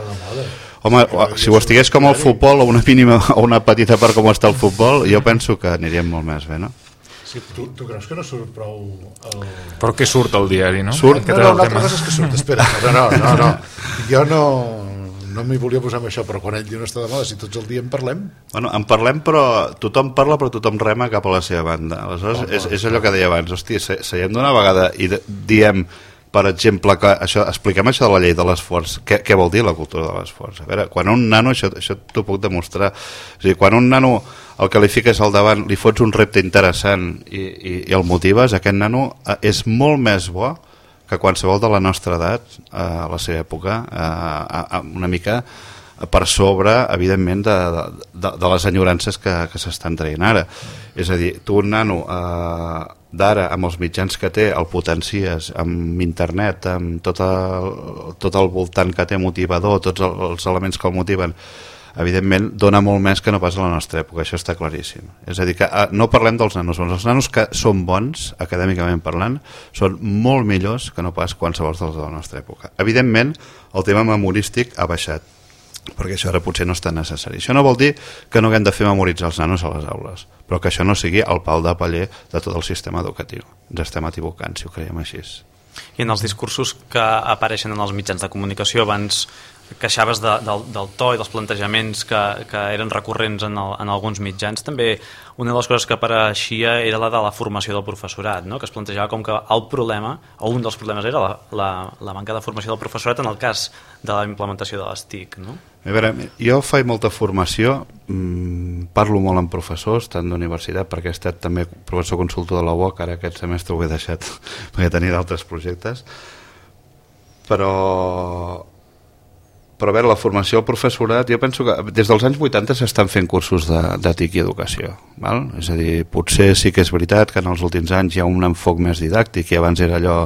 Home, si ho estigués com el futbol, o una mínima o una petita part com està el futbol, jo penso que aniríem molt més bé, no? Sí, tu, tu creus que no surt prou el... Però què surt al diari, no? Surt? No, no, una altra cosa és que surt, espera, no, no, no, no. Jo no, no m'hi volia posar amb això, però quan ell diu no està de moda, si tots el dia en parlem... Bueno, en parlem, però tothom parla, però tothom rema cap a la seva banda. Aleshores, oh, és, és allò que deia abans, hosti, se, seiem d'una vegada i de, diem, per exemple, que això, expliquem això de la llei de l'esforç. Què, què vol dir la cultura de l'esforç? A veure, quan un nano, això, això t'ho puc demostrar, o sigui, quan un nano el qualifiques al davant, li fots un repte interessant i, i, i el motives, aquest nano és molt més bo que qualsevol de la nostra edat, a la seva època, a, a, una mica per sobre, evidentment, de, de, de les enyorances que, que s'estan traient ara. És a dir, tu un nano eh, d'ara, amb els mitjans que té, el potencies amb internet, amb tot el, tot el voltant que té motivador, tots els elements que el motiven, evidentment dona molt més que no pas a la nostra època, això està claríssim. És a dir, que no parlem dels nanos, els nanos que són bons, acadèmicament parlant, són molt millors que no pas qualsevol dels de la nostra època. Evidentment, el tema memorístic ha baixat, perquè això ara potser no és tan necessari. Això no vol dir que no haguem de fer memoritzar els nanos a les aules, però que això no sigui el pal de paller de tot el sistema educatiu. Ens estem equivocant, si ho creiem així. I en els discursos que apareixen en els mitjans de comunicació, abans queixaves de, del, del to i dels plantejaments que, que eren recurrents en, el, en alguns mitjans. També una de les coses que apareixia era la de la formació del professorat, no? Que es plantejava com que el problema, o un dels problemes era la, la, la manca de formació del professorat en el cas de la implementació de les T I C, no? A veure, jo faig molta formació, mmm, parlo molt amb professors, tant d'universitat, perquè he estat també professor consultor de la U O C, ara aquest semestre ho he deixat perquè tenia d'altres projectes, però... però a veure, la formació al professorat, jo penso que des dels anys vuitanta s'estan fent cursos de, de T I C i educació, val? És a dir, potser sí que és veritat que en els últims anys hi ha un enfoc més didàctic, i abans era allò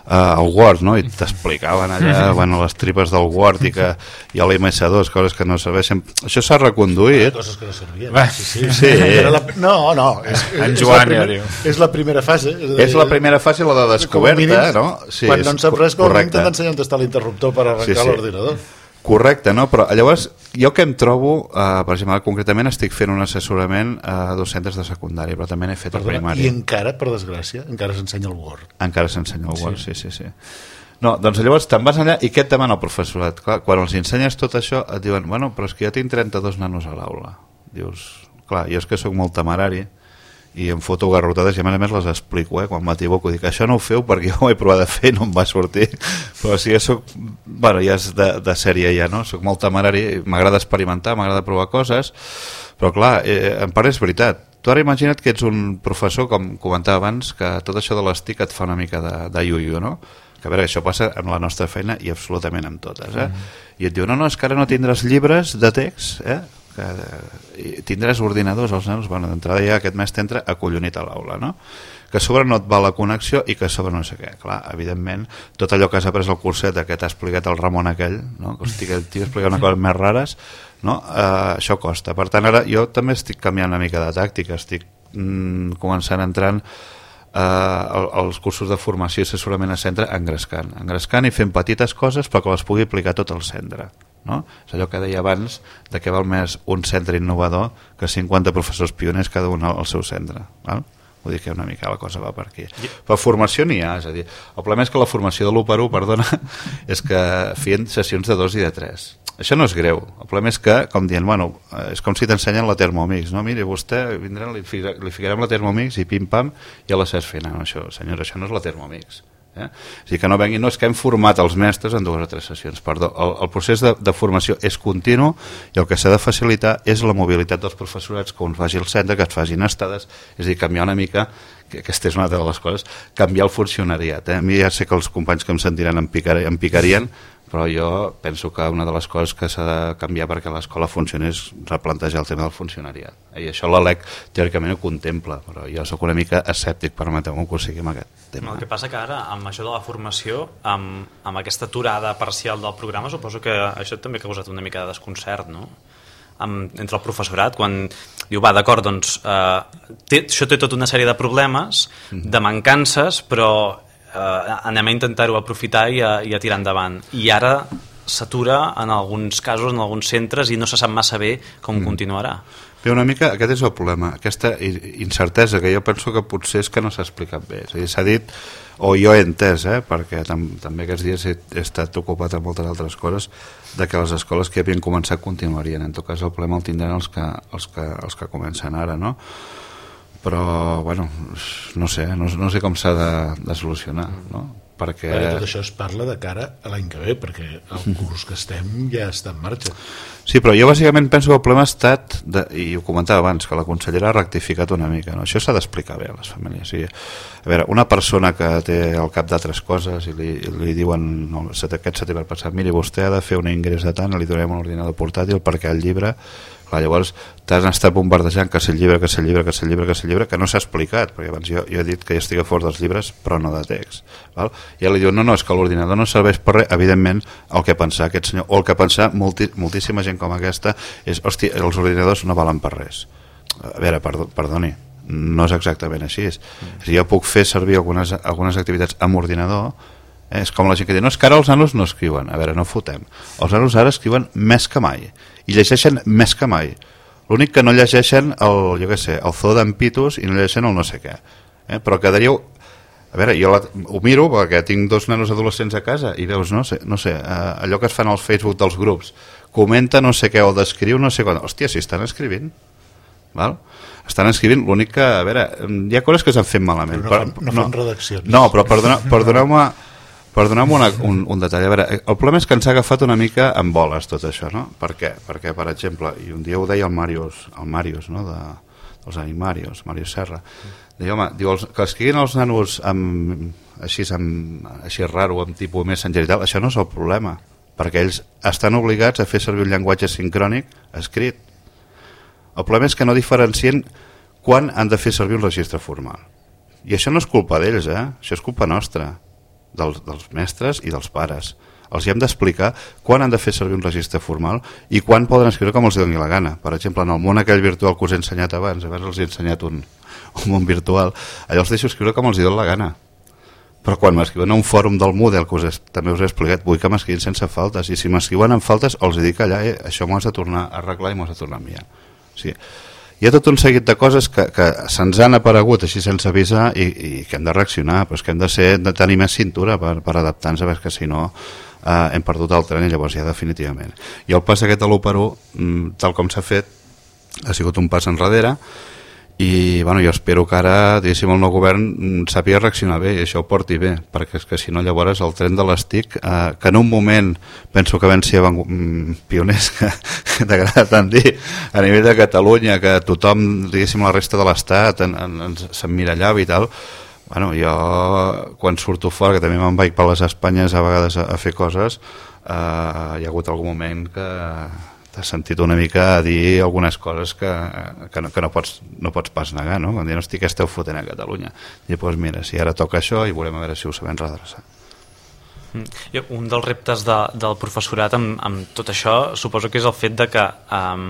Uh, el Word, no? I t'explicaven allà bueno, les tripes del Word i que hi ha l'M S dos, coses que no serveixen. Això s'ha reconduït. Coses que no servien. Sí, sí. sí. La... No, no, és, en és, Joan és, la ja primer, és la primera fase. És, dir, és la primera fase, la de descoberta, mínim, no? Sí, quan no en saps res, com a mínim t'han d'ensenyar on està l'interruptor per arrencar sí, sí. l'ordinador. Correcte, no? Però llavors jo que em trobo, uh, per exemple, concretament estic fent un assessorament a dos centres de secundària, però també n'he fet Perdona, a primària. I encara, per desgràcia, encara s'ensenya el Word. Encara s'ensenya el Word, sí, sí, sí. sí. No, doncs llavors te'n vas allà i què et demana el professorat? Clar, quan els ensenyes tot això et diuen, bueno, però és que jo tinc trenta-dos nanos a l'aula. Dius, clar, jo és que sóc molt temerari i em foto garrotades i a més a més les explico, eh? Quan m'equivoco dic, això no ho feu perquè jo ho he provat de fer i no em va sortir, però si ja soc, bueno, ja és de, de sèrie ja, no? Soc molt temerari, m'agrada experimentar, m'agrada provar coses, però clar, eh, en part és veritat. Tu ara imagina't que ets un professor, com comentava abans, que tot això de les T I C et fa una mica de, de iu-iu, no? Que a veure, això passa en la nostra feina i absolutament en totes, eh? Mm. I et diu, no, no, és que ara no tindràs llibres de text, eh? Que tindràs ordinadors als nanos, bueno, d'entrada ja aquest mes t'entra acollonit a l'aula, no? Que a sobre no et va la connexió i que a sobre no sé què. Clar, evidentment, tot allò que has après al curset que t'ha explicat el Ramon aquell, no? Que hosti, que el tio explica una cosa més rares, no? Uh, això costa. Per tant, ara jo també estic canviant una mica de tàctica, estic mm, començant entrant Uh, els cursos de formació i assessorament a centre engrescant, engrescant i fent petites coses però que les pugui aplicar tot el centre, no? És allò que deia abans de què val més un centre innovador que cinquanta professors pioners cada un al seu centre, val? Vull dir que una mica la cosa va per aquí. Però formació n'hi ha, és a dir, el problema és que la formació de l'u per u, perdona, és que feien sessions de dos i de tres. Això no és greu, el problema és que, com dient, bueno, és com si t'ensenyen la Thermomix, no? Miri, vostè vindrà, li, li ficarem la Thermomix i pim-pam, ja la saps fer. No, això, senyora, això no és la Thermomix. Eh? És dir, que no vengui, no és que hem format els mestres en dues o tres sessions, perdó. El, el procés de, de formació és continu i el que s'ha de facilitar és la mobilitat dels professorats, que uns vagi al centre, que es facin estades, és a dir, canviar una mica, que aquesta és una de les coses, canviar el funcionariat. Eh? A mi ja sé que els companys que em sentiran em, picar, em picarien, però jo penso que una de les coses que s'ha de canviar perquè l'escola funcioni és replantejar el tema del funcionariat. I això la L E C teòricament ho contempla, però jo sóc una mica escèptic, permeteu-me que ho sigui amb aquest tema. El que passa que ara, amb això de la formació, amb, amb aquesta aturada parcial del programa, suposo que això també ha causat una mica de desconcert, no? Amb, entre el professorat, quan diu, va, d'acord, doncs eh, té, això té tota una sèrie de problemes, de mancances, però Uh, anem a intentar-ho aprofitar i a, i a tirar endavant. I ara s'atura en alguns casos, en alguns centres, i no se sap massa bé com mm. continuarà. Bé, una mica, aquest és el problema, aquesta incertesa que jo penso que potser és que no s'ha explicat bé. És a dir, s'ha dit, o jo he entès, eh, perquè tam també aquests dies he, he estat ocupat amb moltes altres coses, de que les escoles que havien començat continuarien. En tot cas, el problema el tindran els que, els que, els que comencen ara, no? Però, bueno, no sé, no, no sé com s'ha de, de solucionar, no? Perquè... Però tot això es parla de cara a l'any que ve, perquè el curs que estem ja està en marxa. Sí, però jo bàsicament penso que el problema ha estat, de, i ho comentava abans, que la consellera ha rectificat una mica, no? Això s'ha d'explicar bé a les famílies. Sí. A veure, una persona que té al cap d'altres coses i li, li diuen no, aquest setembre passat, miri, vostè ha de fer un ingrés de tant, li donem un ordinador portàtil perquè el llibre... Clar, llavors t'has estat bombardejant que si el llibre, que si el llibre, que si el llibre, que si el llibre, que no s'ha explicat, perquè abans jo, jo he dit que jo estic a favor dels llibres, però no de text. Val? I ell li diu, no, no, és que l'ordinador no serveix per res. Evidentment, el que pensar aquest senyor, o el que pensar multi, moltíssima gent com aquesta, és, hosti, els ordinadors no valen per res. A veure, perdó, perdoni, no és exactament així. Mm. Si jo puc fer servir algunes, algunes activitats amb ordinador, eh, és com la gent que diu, no, és que ara els nanos no escriuen. A veure, no fotem. Els nanos ara escriuen més que mai. I llegeixen més que mai. L'únic que no llegeixen el, jo què sé, el zoo d'en Pitus i no llegeixen el no sé què. Eh? Però quedaríeu... A veure, jo la, ho miro perquè tinc dos nanos adolescents a casa i veus, no sé, no sé eh, allò que es fan al Facebook dels grups. Comenta no sé què o descriu no sé quan. Hòstia, si estan escrivint. Val? Estan escrivint, l'únic que... A veure, hi ha coses que s'han fet malament. Però no fan, no fan no, redaccions. No, però perdona, perdoneu-me... Perdoneu-me una, un, un detall. A veure, el problema és que ens ha agafat una mica en boles tot això, no? Per què? Perquè, per exemple, i un dia ho deia el Màrius, el Màrius, no? De, dels Animarios, Màrius Serra. Deia, home, diu, els, que escriguin els nanos amb, així, amb, així raro, amb tipus Messenger i tal, això no és el problema, perquè ells estan obligats a fer servir un llenguatge sincrònic escrit. El problema és que no diferencien quan han de fer servir un registre formal. I això no és culpa d'ells, eh? Això és culpa nostra. Dels, dels mestres i dels pares. Els hi hem d'explicar quan han de fer servir un registre formal i quan poden escriure com els doni la gana. Per exemple, en el món aquell virtual que us he ensenyat abans, abans els he ensenyat un, un món virtual, allò els deixo escriure com els doni la gana. Però quan m'escriuen a un fòrum del Moodle, que us he, també us he explicat, vull que m'escrivin sense faltes, i si m'escriuen amb faltes els dic allà, eh, això m'ho has de tornar a arreglar i m'ho has de tornar a enviar. Sí. Hi ha tot un seguit de coses que, que se'ns han aparegut així sense avisar i, i que hem de reaccionar, però és que hem de, ser, de tenir més cintura per, per adaptar-nos, perquè si no eh, hem perdut el tren i llavors ja definitivament. I el pas aquest a l'u per u, tal com s'ha fet, ha sigut un pas enrere i bueno, jo espero que ara diguéssim, el nou govern sàpiga reaccionar bé i això ho porti bé, perquè és que si no llavors el tren de les T I C, eh, que en un moment penso que vam ser pioners, que, que t'agrada tant dir, a nivell de Catalunya, que tothom, diguéssim, la resta de l'Estat s'emmirallava i tal, bueno, jo quan surto fora, que també me'n vaig per les Espanyes a vegades a, a fer coses, eh, hi ha hagut algun moment que t'has sentit una mica a dir algunes coses que, que, no, que no, pots, no pots pas negar, no? Quan diuen, hosti, què esteu fotent a Catalunya? I doncs mira, si ara toca això i veurem a veure si ho sabem redreçar. Un dels reptes de, del professorat amb, amb tot això suposo que és el fet de que um,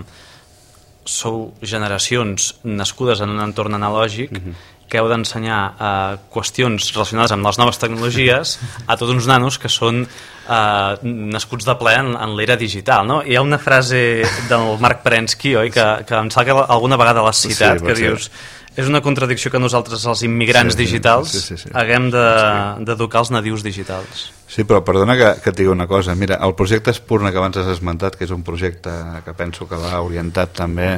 sou generacions nascudes en un entorn analògic uh-huh. que heu d'ensenyar uh, qüestions relacionades amb les noves tecnologies a tots uns nanos que són uh, nascuts de ple en, en l'era digital, no? Hi ha una frase del Marc Perensky, oi? Que, que em sembla que alguna vegada l'has citat, sí, que dius, és una contradicció que nosaltres, els immigrants sí, digitals, sí, sí, sí, sí. haguem d'educar els nadius digitals. Sí, però perdona que, que et digui una cosa. Mira, el projecte Espurna que abans has esmentat, que és un projecte que penso que va orientat també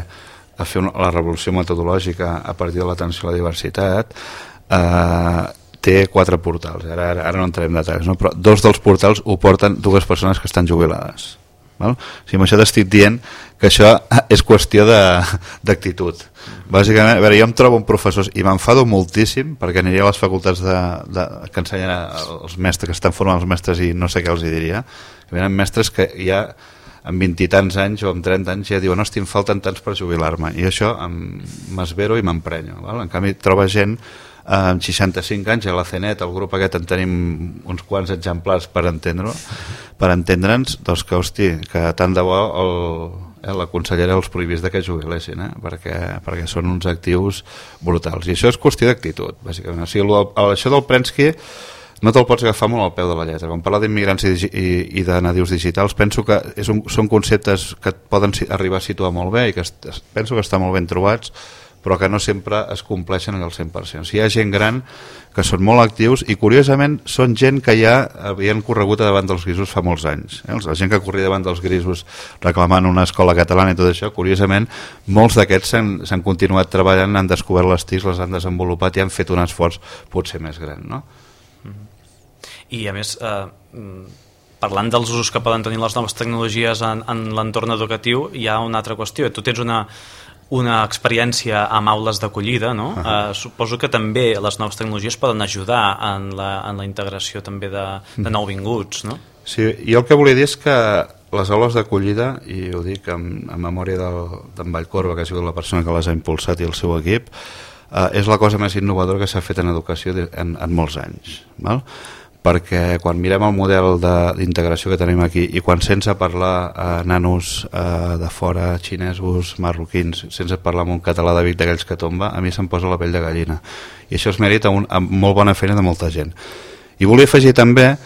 a fer una, la revolució metodològica a partir de l'atenció a la diversitat, eh, té quatre portals. Ara, ara, ara no entrarem en detalls, no? Però dos dels portals ho porten dues persones que estan jubilades. Val? O sigui, amb això t'estic dient que això és qüestió d'actitud. Bàsicament, a veure, jo em trobo un professor i m'enfado moltíssim perquè aniria a les facultats de, de, que ensenyen els mestres, que estan formant els mestres i no sé què els hi diria, que venen mestres que ja amb vint i tants anys o amb trenta anys ja diuen, hosti, em falten tants per jubilar-me, i això m'esvero i m'emprenyo. En canvi troba gent amb seixanta-cinc anys a la CENET, el grup aquest en tenim uns quants exemplars per entendre per entendre'ns, doncs que, hosti, que tant de bo el, eh, la consellera els prohibís de que jubilessin, eh? perquè, perquè són uns actius brutals, i això és qüestió d'actitud, bàsicament. O sigui, el, el, això del Prensky no te'l pots agafar molt al peu de la lletra. Quan parla d'immigrants i, i, i de nadius digitals, penso que és un, són conceptes que et poden arribar a situar molt bé i que est, penso que estan molt ben trobats, però que no sempre es compleixen al cent per cent. O sigui, hi ha gent gran que són molt actius i, curiosament, són gent que ja havien corregut davant dels grisos fa molts anys. Eh? La gent que corria davant dels grisos reclamant una escola catalana i tot això, curiosament, molts d'aquests s'han continuat treballant, han descobert les T I C, les han desenvolupat i han fet un esforç potser més gran, no? I, a més, eh, parlant dels usos que poden tenir les noves tecnologies en, en l'entorn educatiu, hi ha una altra qüestió. Tu tens una... una experiència amb aules d'acollida, no? Uh -huh. uh, suposo que també les noves tecnologies poden ajudar en la, en la integració també de, de nouvinguts, no? Sí, jo el que volia dir és que les aules d'acollida, i ho dic en, en memòria d'en Vallcorba, que ha sigut la persona que les ha impulsat, i el seu equip, uh, és la cosa més innovadora que s'ha fet en educació en, en molts anys, val? Perquè quan mirem el model d'integració que tenim aquí i quan sense parlar a nanos eh, de fora, xinesos, marroquins, sense parlar amb un català de Vic d'aquells que tomba, a mi se'm posa la pell de gallina. I això és mèrit a, un, a molt bona feina de molta gent. I volia afegir també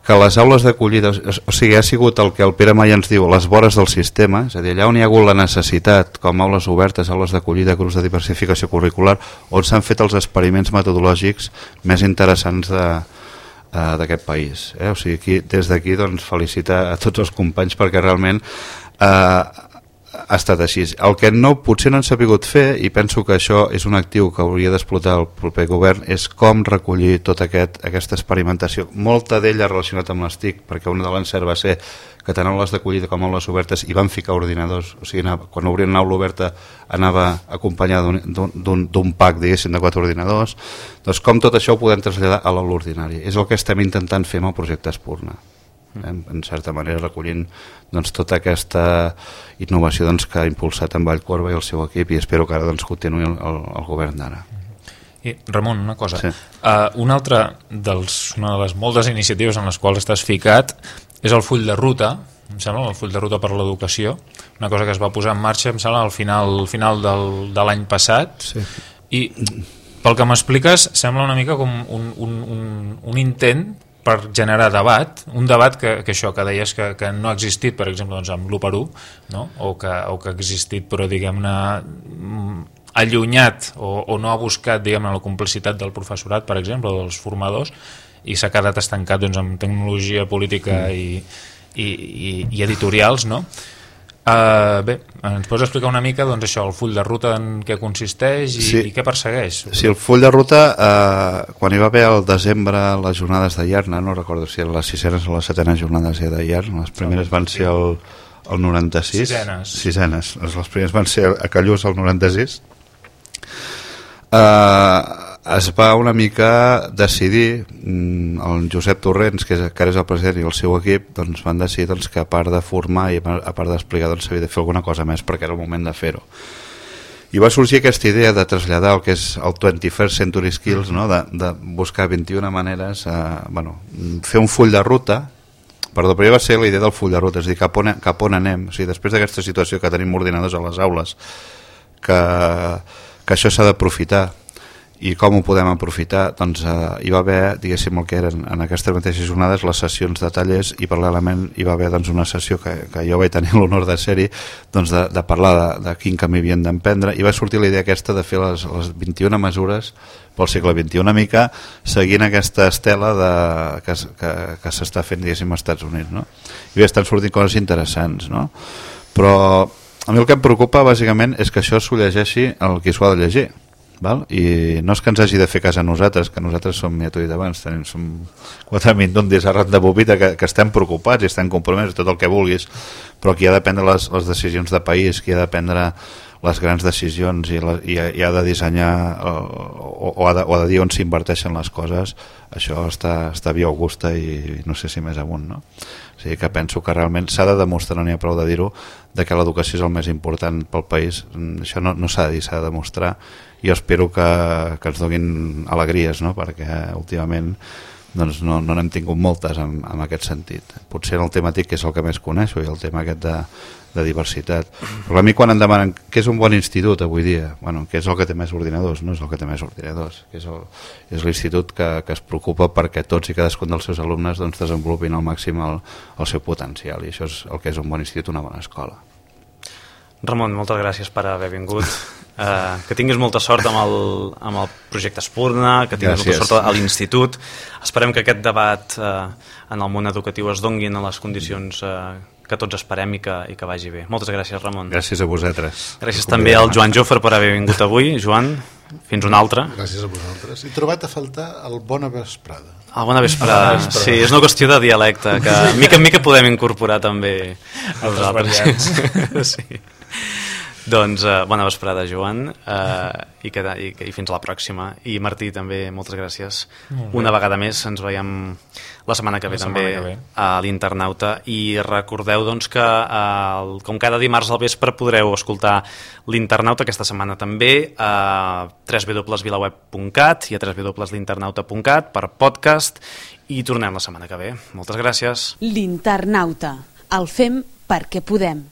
que les aules d'acollida, o sigui, ha sigut el que el Pere Maia ens diu, les vores del sistema, és a dir, allà on hi ha hagut la necessitat, com aules obertes, aules d'acollida, grups de diversificació curricular, on s'han fet els experiments metodològics més interessants de d'aquest país, eh? O sigui, aquí, des d'aquí doncs, felicitar a tots els companys perquè realment eh, ha estat així. El que no, potser no han sabut fer, i penso que això és un actiu que hauria d'explotar el proper govern, és com recollir tota aquest, aquesta experimentació, molta d'ella relacionat amb les T I C, perquè una de l'encert va ser que tant aules d'acollida com aules obertes hi van ficar ordinadors, o sigui, anava, quan obrien una aula oberta anava acompanyada d'un pack, diguéssim, de quatre ordinadors. Doncs com tot això ho podem traslladar a l'aula ordinària. És el que estem intentant fer amb el projecte Espurna, eh? En certa manera recollint doncs, tota aquesta innovació doncs, que ha impulsat en Vallcorba i el seu equip, i espero que ara doncs, continuï el, el, el govern d'ara. I, Ramon, una cosa, sí. uh, una altra dels, una de les moltes iniciatives en les quals estàs ficat és el full de ruta, em sembla, el full de ruta per l'educació, una cosa que es va posar en marxa, em sembla, al final, al final del, de l'any passat, sí. I pel que m'expliques sembla una mica com un, un, un, un intent per generar debat, un debat que, que això que deies que, que no ha existit, per exemple, doncs, amb l'u per u, no? o, que, o que ha existit però diguem-ne allunyat o, o no ha buscat diguem-ne la complicitat del professorat, per exemple, o dels formadors, i s'ha quedat estancat doncs, amb tecnologia política mm. i, i, i, i editorials, no? Uh, bé, ens pots explicar una mica doncs, això, el full de ruta en què consisteix i, sí. i què persegueix? Sí, el full de ruta, eh, quan hi va haver al desembre les jornades de Iarna, no recordo si eren les sisenes o les setenes jornades ja de Iarna, les primeres van ser el, el noranta-sis. Sisenes. Sisenes, les primeres van ser a Callús el noranta-sis. Eh, es va una mica decidir, el Josep Torrents, que, és, que ara és el president, i el seu equip doncs, van decidir doncs, que a part de formar i a part d'explicar doncs, s'havia de fer alguna cosa més perquè era el moment de fer-ho. I va sorgir aquesta idea de traslladar el que és el twenty-first Century Skills, no? de, de buscar vint-i-una maneres, eh, bueno, fer un full de ruta. Perdó, però ja va ser la idea del full de ruta, és a dir, cap on, cap on anem. O sigui, després d'aquesta situació que tenim ordinadors a les aules, que, que això s'ha d'aprofitar, i com ho podem aprofitar, doncs eh, hi va haver, diguéssim, el que eren en aquestes mateixes jornades les sessions de tallers, i paral·lelament hi va haver doncs, una sessió que, que jo vaig tenir l'honor de ser-hi, doncs, de, de parlar de, de quin camí havien d'emprendre, i va sortir la idea aquesta de fer les, les vint-i-una mesures pel segle vint-i-u, una mica seguint aquesta estela de, que, que, que s'està fent, diguéssim, als Estats Units, no? I estan sortint coses interessants, no? Però a mi el que em preocupa bàsicament és que això s'ho llegeixi el qui s'ho ha de llegir. Val? I no és que ens hagi de fer cas a nosaltres, que nosaltres som, ja t'ho he dit abans, tenim, som quatre mindundis arran de bobita que, que estem preocupats i estem compromesos, tot el que vulguis, però qui ha de prendre les, les decisions de país, qui ha de prendre les grans decisions i, la, i, i ha de dissenyar o, o, ha de, o ha de dir on s'inverteixen les coses, això està, està via augusta i, i no sé si més amunt, no? O sigui que penso que realment s'ha de demostrar, no n'hi ha prou de dir-ho, de que l'educació és el més important pel país. Això no, no s'ha de dir, s'ha de demostrar. Jo espero que, que ens donin alegries, no? Perquè últimament doncs no no n'hem tingut moltes en, en aquest sentit. Potser en el tema TIC, que és el que més coneixo, i el tema aquest de, de diversitat. Però a mi quan em demanen què és un bon institut avui dia, bueno, què és el que té més ordinadors? No és el que té més ordinadors, que és, el, és l'institut que, que es preocupa perquè tots i cadascun dels seus alumnes doncs, desenvolupin al màxim el, el seu potencial, i això és el que és un bon institut, una bona escola. Ramon, moltes gràcies per haver vingut. Uh, que tinguis molta sort amb el, amb el projecte Espurna, que tinguis Gràcies. molta sort a l'institut. Esperem que aquest debat uh, en el món educatiu es donguin a les condicions uh, que tots esperem i que, i que vagi bé. Moltes gràcies, Ramon. Gràcies a vosaltres. Gràcies també al Joan Jofre per haver vingut avui. Joan, fins una altra. Gràcies a vosaltres. He trobat a faltar el Bona Vesprada. Ah, bona vesprada. Sí, és una qüestió de dialecte, que mica en mica podem incorporar també nosaltres. Sí. Doncs uh, bona vesprada, Joan, uh, i, que, i, i fins a la pròxima. I Martí, també, moltes gràcies. Una vegada més, ens veiem la setmana que ve La també setmana que ve. a l'Internauta. I recordeu doncs, que uh, com cada dimarts al vespre podreu escoltar l'Internauta aquesta setmana també a w w w punt vilaweb punt cat i a w w w punt l'internauta punt cat per podcast, i tornem la setmana que ve. Moltes gràcies. L'Internauta. El fem perquè podem.